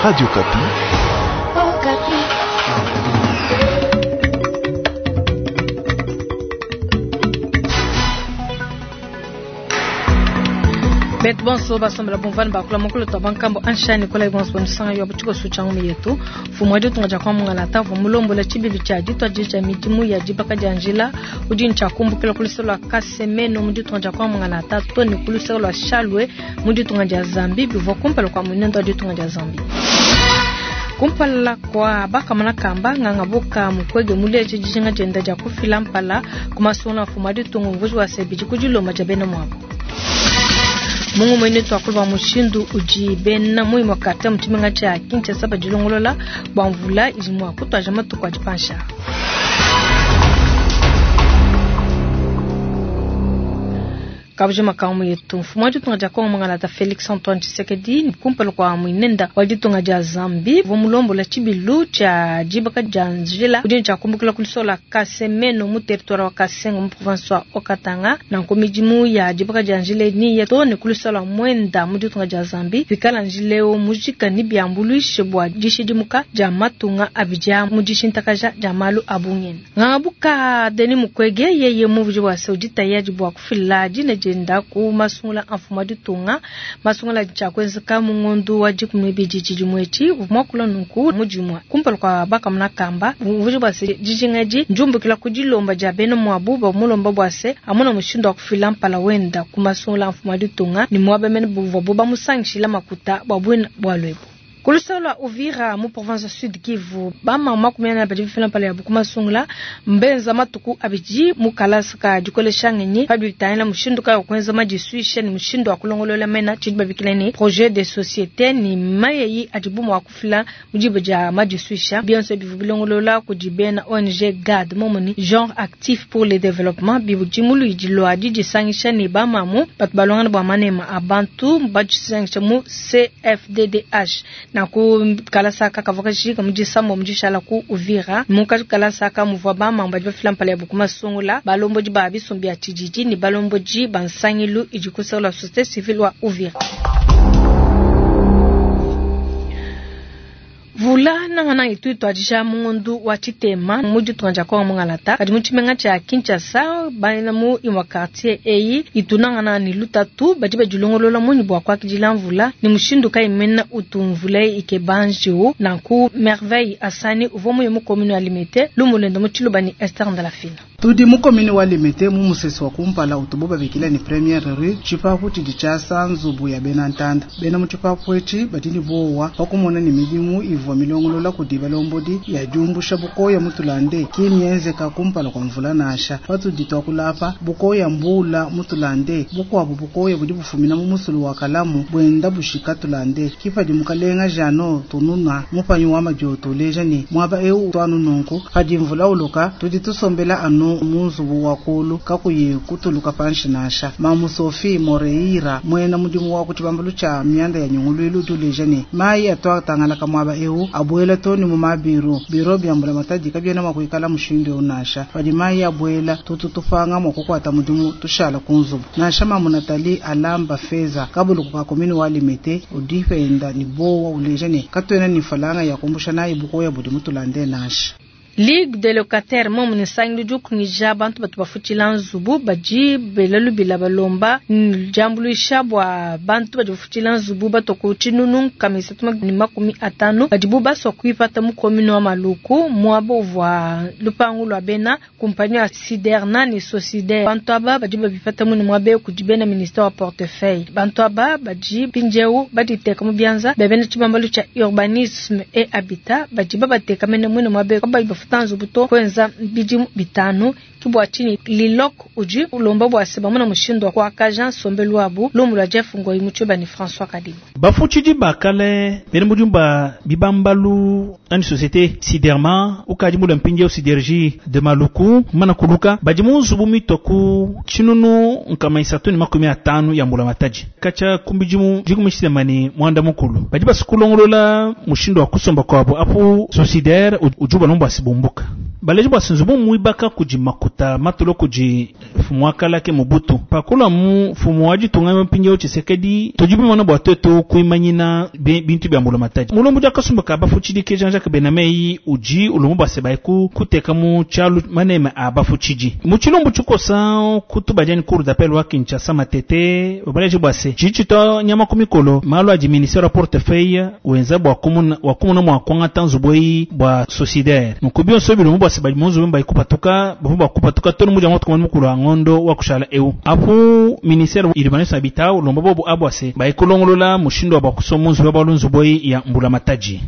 Radio Okapi. Betu bonso basombela bumvani bakula mukulu twa bankambo anshani kola bonso bamusanga yo butiko sucha ngumu yetu mfumu wa ditunga dia kwa mungalata uvua mulombola tshibilu tshia dituadija tshia midimu ya dibaka dia njila udi ne tshia kumbukila ku luseke lua Kasemeno mu ditunga dia kwa mungalata to ne ku luseke lua Shalwe mu ditunga dia Zambie bivua kumpala kua muinende wa ditunga dia Zambie. Kumpala kua bakamona kamba nganga buka Mukwege muleje dijinga dienda dia kufila mpala ku masungula a mfumu wa ditunga umvuiji wa se bidi ku dilomba dia bena muabu. Mu ngumu ine tuakula bua mushindu udi bena mu imue quartier mu tshimenga tshia Kinshasa badilongolola bua mvula idi mua kutuaja matuku adi panshi aa. Kabujima ka mu yetu mfumu wa ditunga dia Kongo Mungalata Felix Antoine Tshisekedi kumpala kua muinenda wa ditunga dia Zambie uvua mulombola tshibilu tshia dibaka dia njila udi ne tshia kumbukila ku lusola Kasemeno mu territoire wa Kasenga mu province wa Haut-Katanga. Nanku midimu ya dibaka dia njila eyi neyiye too ne ku lusola Mwenda mu ditunga dia Zambie. Pikala njila eu mujika nebiambuluishe bua dishidimuka dia matunga abidi aa mu dishintakaja dia malu a bungenda. Nganga-buka Denis Mukwege yeye mumvuije bua se udi tayadi bua kufila dina dienda ku masungula a mfumu wa ditunga. Masungula adi tshia kuenzeka mu ngondo wa 12 tshidimu etshi. Uvua muakula nunku mu dimue kumpala kua bakamona kamba. Mumvuije bua se dijinga edi ndiumbukila ku dilomba dia bena muabu bamulomba bua se amona mushindu wa kufila mpala wenda ku masungula a mfumu wa ditunga ne muaba mene buvuabu bamusangishila makuta bua buina bualu ebu. Ku luseke lua Uvira mu province wa Sud Kivu, bamama 40 badi bafila mpala yabu ku masungula mbenza matuku abidi mu kalasa ka dikolesha ngenyi pa bitangila mushindu kayi wa kuenza madisuisha ne mushindu wa kulongolola mena tshidi babikila ne projet de societe ne mayeyi adibu mua kufila mu diba dia madisuisha. Bionso bivua bilongolola kudi bena ONG GAD momo ne Genre Actif pour le Développement bidi mu luidi lua didisangisha ne bamamu batu balongana bua manema a bantu badisangisha mu CFDDH. Nanku kalasa aka kavua kajika mu disambombo dishala ku Uvira. Mu kalasa aka muvua bamamu badi bafila mpala yabu ku masungula, balombodi ba bisumbu bia tshididi ne balombodi ba nsangilu idi ku luseke lua societe civile wa Uvira. Mvula nangananga itu ituadija mu ngondu wa tshitema mu ditunga dia Kongo mungalata, kadi mu tshimenga tshia Kinshasa bena mu imue quartier eyi itu nangananga ne lutatu. Badi badilongolola munyi bua kuakidila mvula ne mushindu kayi mena utu mvula eyi ikeba njiwu? Nanku Merveille Asani uvua muye mu commune wa Limete, lumu luende mu tshiluba ne Esther Ndalafina. Tudi mu commune wa Limete mu musesu wa kumpala utubu babikila ne Premiere Rue, tshipapu tshidi tshiasa nzubu ya bena ntanda. Bena mu tshipapu etshi badi ne buowa pa kumona ne midimu ivua milongolola kudi balombodi ya diumbusha bukoya mu tulande ki mienzeka kumpala kua mvula nansha. Patudi tuakula apa, bukoya mbuula mu tulande, bukuabu bukoya budi bufumina mu musulu wa Kalamu buenda bushika tulande. Ki padi mukalenga Jeannot Tununa mupanyi wa madioto uleja ne muaba eu utu anu nunku, padi mvula uloka tudi tusombela anu mu nzubu wa kulu kakuyi kutuluka panshi nansha. Mamu Sophie Moreira muena mudimu wa ku tshibambalu tshia mianda ya nyunguluilu udi uleja ne mayi atu atangalaka muaba eu abuela too ne mu mabiru. Biro bia mbulamatadi kabiena mua kuikala mushindu eu nansha. Padi mayi abuela tutu tupanga mua kukuata mudimu tushala ku nzubu. Nansha mamu Nathalie Alamba Feza kabuluku ka commune wa Limete udi penda ne buowa uleja ne katuena ne mfalanga ya kumbusha nayi bukoya budi mutulande nansha. Ligue des locataires momu ne nsangilu udi ukungija bantu batu bafutshila nzubu badi bela lubila balomba diambuluisha bua bantu badi bafutshila nzubu batua ku tshinunu 350 badibu basua kuipata mu commune wa Maluku muaba uvua lupangu lua bena kumpanyi ya Siderna ne Socider. Bantu aba badi babipata mune muaba eu kudi bena ministère wa portefeuille. Bantu aba badi mpindieu baditeka mu bianza bia bena tshibambalu tshia urbanisme et habitat badi babateka mene muine muaba eu kabayi bafuta nzubu to kuenza bidimu bitanu. Ke bua tshinyi Liloc udi ulomba bua se bamona mushindu wa kuakaja nsombelu wabu. Lumu lua Jeff Ngoyi mu Tshioba ne François Kadima. Bafutshidi ba kale bena mudimu ba bibambalu anyi societe Siderma ukadi mulue mpindieu Sidergie de Maluku mumana kuluka badi mu nzubu mitua ku tshinunu 350 ya mbulamatadi katshia ku bidimu 18 badi basua kulongolola mushindu wa kusomba kuabu apu Socider udi ubalomba bua si bumbuka. Baleji bua nzubu muibaka kudi makuta matulo kudi mfumu wa kala ke Mobutu. Pakula mu mfumu wa ditunga mpindieu Tshisekedi tudi bimona bua tuetu kuimanyina bintu bia mbulamatadi. Mulombo dia kasumba ka bafutshidi ke Jean-Jacques Benamei udi ulomba bua se baye kuteka mu tshialu maneme a bafutshidi. Mu tshilumbu tshikosa kutubadia ni cour d'appel wa Kinshasa Matete baleji bua se tshidi tshitwa nyama ku mikolo malu adi ministère wa portefeuille wenza bua kumuna wa kumuna mua kuangata nzubu eyi bua sociétaire. Nunku bionso bilomba bua se badi mu nzubu mbayi kupatuka bavua bua kupatuka tonu mudia moto kumana mukulu wa ngondo wa kushala eu. Apu ministère urbanisme habitat ulomba bobu abu ase bayi kulongolola mushindu wa bua kusoma nzubu ya nzubu eyi ya mbulamatadi.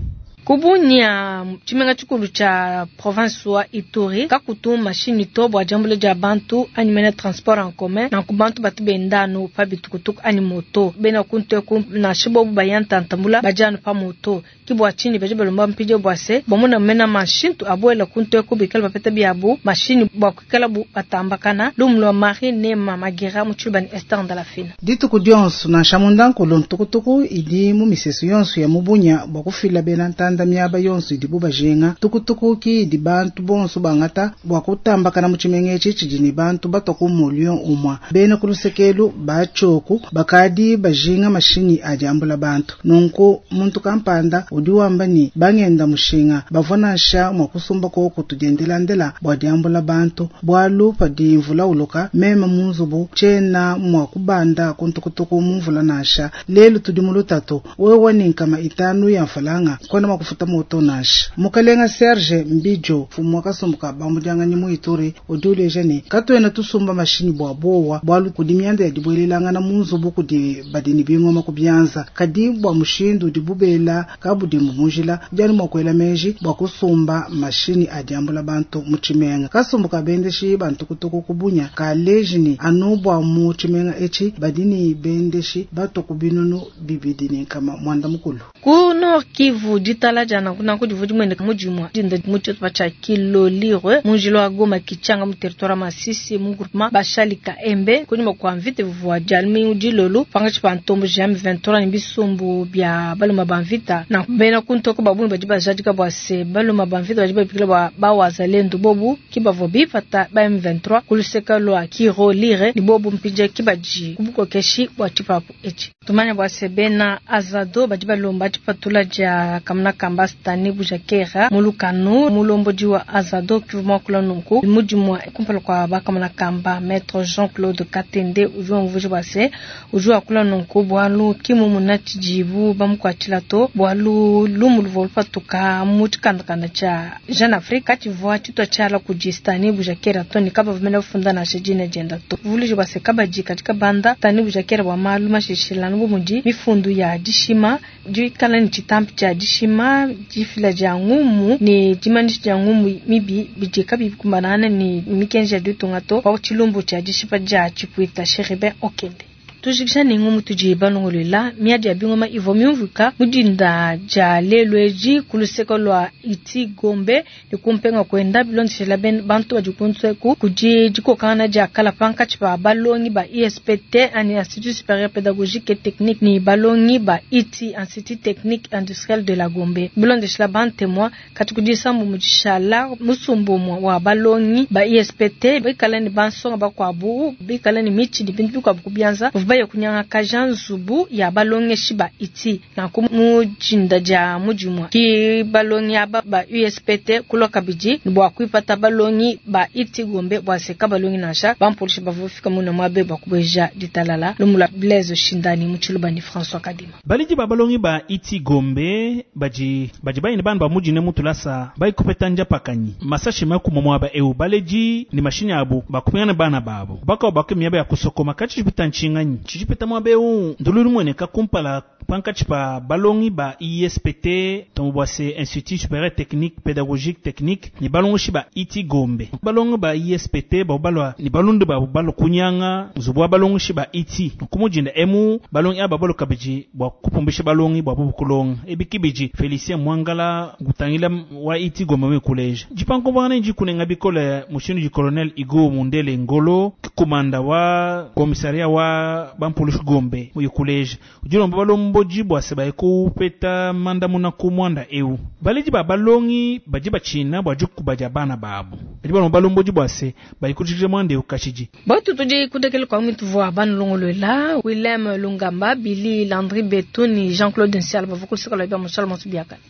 Kubunya tshimenga tshikulu tshia province wa Ituri kakutu mashini to bua diambula dia bantu anyi mena transport en commun nanku bantu batu benda anu pa bitukutuku anyi moto bena kuntu nansha bobu baya ntantambula badi anu pa moto ki bua tshinyi badi balomba mpindieu bua se bamona mena mashintu abuela kuntu eku bikala bapeta biabu mashini bua kuikala bu batambakana. Lumu lua Marie Nema Magira mu tshiluba ni Esther Ndalafina. Dituku dionso nansha mundankulu ntukutuku idi mu misesu yonso ya mubunya bua kufila bena ntanda miaba yonso idibu bajinga. Tukutuku ki idi bantu bonso bangata bua kutambakana mu tshimenga etshi tshidi ne bantu batua ku mulio umua. Bena ku lusekelu batshioku bakadi bajinga mashinyi adi ambula bantu. Nunku muntu kampanda udi wamba ni bangenda mushinga bavua nansha mua kusumba koku tudiendelandela bua diambula bantu. Bualu padi mvula uloka meme mu nzubu tshiena mua kubanda ku ntukutuku mu mvula nansha. Lelu tudi mu lutatu wewe ni nkama 5 ya mfalanga kona mua kufuta moto nansha. Mukalenga Serge Mbijo mfumu wa kasumbu ka bambudianganyi mu Ituri udi uleja ne katuena tusumba mashinyi bua bowa bualu kudi mianda ya dibuelelangana mu nzubu kudi badi ne bingoma ku bianza. Kadi bua mushindu udi bubela kabudimbu mujila diani mua kuela meji bua kusumba mashinyi adi ambula bantu mu tshimenga. Kasumbu ka bendeshi bantukutuku kubunya kaleji ni anu bua mu tshimenga etshi badi ne bendeshi bato ku binunu bibidi ne nkama mwanda mukulu. Ku Nord Kivu ditala dia nanku nanku divua dimueneka mudimua dinda mu tshitupa tshia Kilolirwe mu njila wa Goma Kichanga mu territoire Masisi mu groupement Bashalika Embe kunyima kua mvita bivua dia lumingu dilolo pangatshi pa ntombo M23 ne bisumbu bia baluma ba mvita na bena kuntoko babungi badi bajadika bua se baluma ba mvita badi babikila bua bawazalendo bobu ki bavua bipata ba M23 ku luseke lua Kirolire ni bobu mpindieu ki badi ku bukokeshi bua tshipapu etshi. Tumanya bua se bena Azado badi balomba tshipatula dia kamuna kamba Stani Bujakera mulukanu mulombodi wa Azado kivu kula nunku mudimua kumpala kwa bakamuna kamba Maître Jean-Claude Katende udi wamvuja bua se udi wakula nunku bualu kimumuna tshidibu bamukuatshila to bualu lumu luvua lupatuka mu tshikandakanda tshia Jeune Afrique katshivua tshitua tshiala kudi Stani Bujakera to ne kabavumena bafunda nansha dina dienda to. Vuluji bua se kabadi katika banda Stani Bujakera bua malu mashishilano bu mudi mifundu ya dishima dikala ne tshitampi tshia dishima difila dia ngumu ne dimanisha dia ngumu mibi bidi kabiyi bikumbanana ne mikenji ya ditunga to pa tshilumbu tshia dishipa dia tshipuita Chérubin Okende. Tujikisha ne ngumu tudi balongolola miadi ya bingoma ivua miumvuika mudinda dia lelu edi ku luseke lua Iti Gombe ne kumpenga kwenda bilondeshela bantu badi kunseku kudi dikokangana dia kala pankatshi pa balongi ba ISPT ani Institut Supérieur Pédagogique et Technique ni balongi ba ITI Institut Technique Industriel de la Gombe. Bilondeshela bantemwa kati kudisambu mudishala musumbu wa balongi ba ISPT bikala ni bansonga bakwabu bikala ni michi ni bintu bikwabu kubianza baye kunyanga kaja nzubu ya balongeshi ba iti na mujinda dia mujimwa ki balongi aba ba USPT kulwa kabidi ni bua kuipata balongi ba iti Gombe bua seka balongi nansha bampolishi bavufika muna mwabe bua kubweja ditalala lumula Blaise Shindani mu tshiluba ni François Kadima. Baliji ba balongi ba iti Gombe baji baji bayine bana ba mujine mutulasa bayi kupeta nja pakanyi masashi makuma mwaba eu baleji ni mashini abu bakupingana bana babo baka bake miaba ya kusokoma kachi jipita nchinganyi chijipeta mwabe eu ndululu mweneka kumpala pankatshi pa balongi ba ISPT tombo bua se Institut Supérieur Technique Pédagogique Technique ni balongoshi ba iti Gombe balongi ba ISPT ba balwa ni balundu ba balo kunyanga nzubu wa balongoshi ba iti kumujinda emu balongi aba balo kabiji bua kupumbisha balongi bua bukulonga ebikibiji Felicien Mwangala gutangila wa iti Gombe me collège jipanko bana jikunenga bikole mushindu ji colonel Igo Mundele Ngolo komanda wa commissariat wa bampulushi Gombe mu collège ujilomba balombo balombodi bua se baye kupeta mandamuna ku muanda eu. Baledi ba balongi badi batshina bua dikuba dia bana babu. Badi balomba balombodi bua se baye kujikija muanda eu kashidi. Batu tudi kudekela kwa mwitu vua banulongoluela Willem Lungamba, Billy Landry Betu ni Jean-Claude Nsiala bavua kuluseka lua bia Musala Monsu biakane.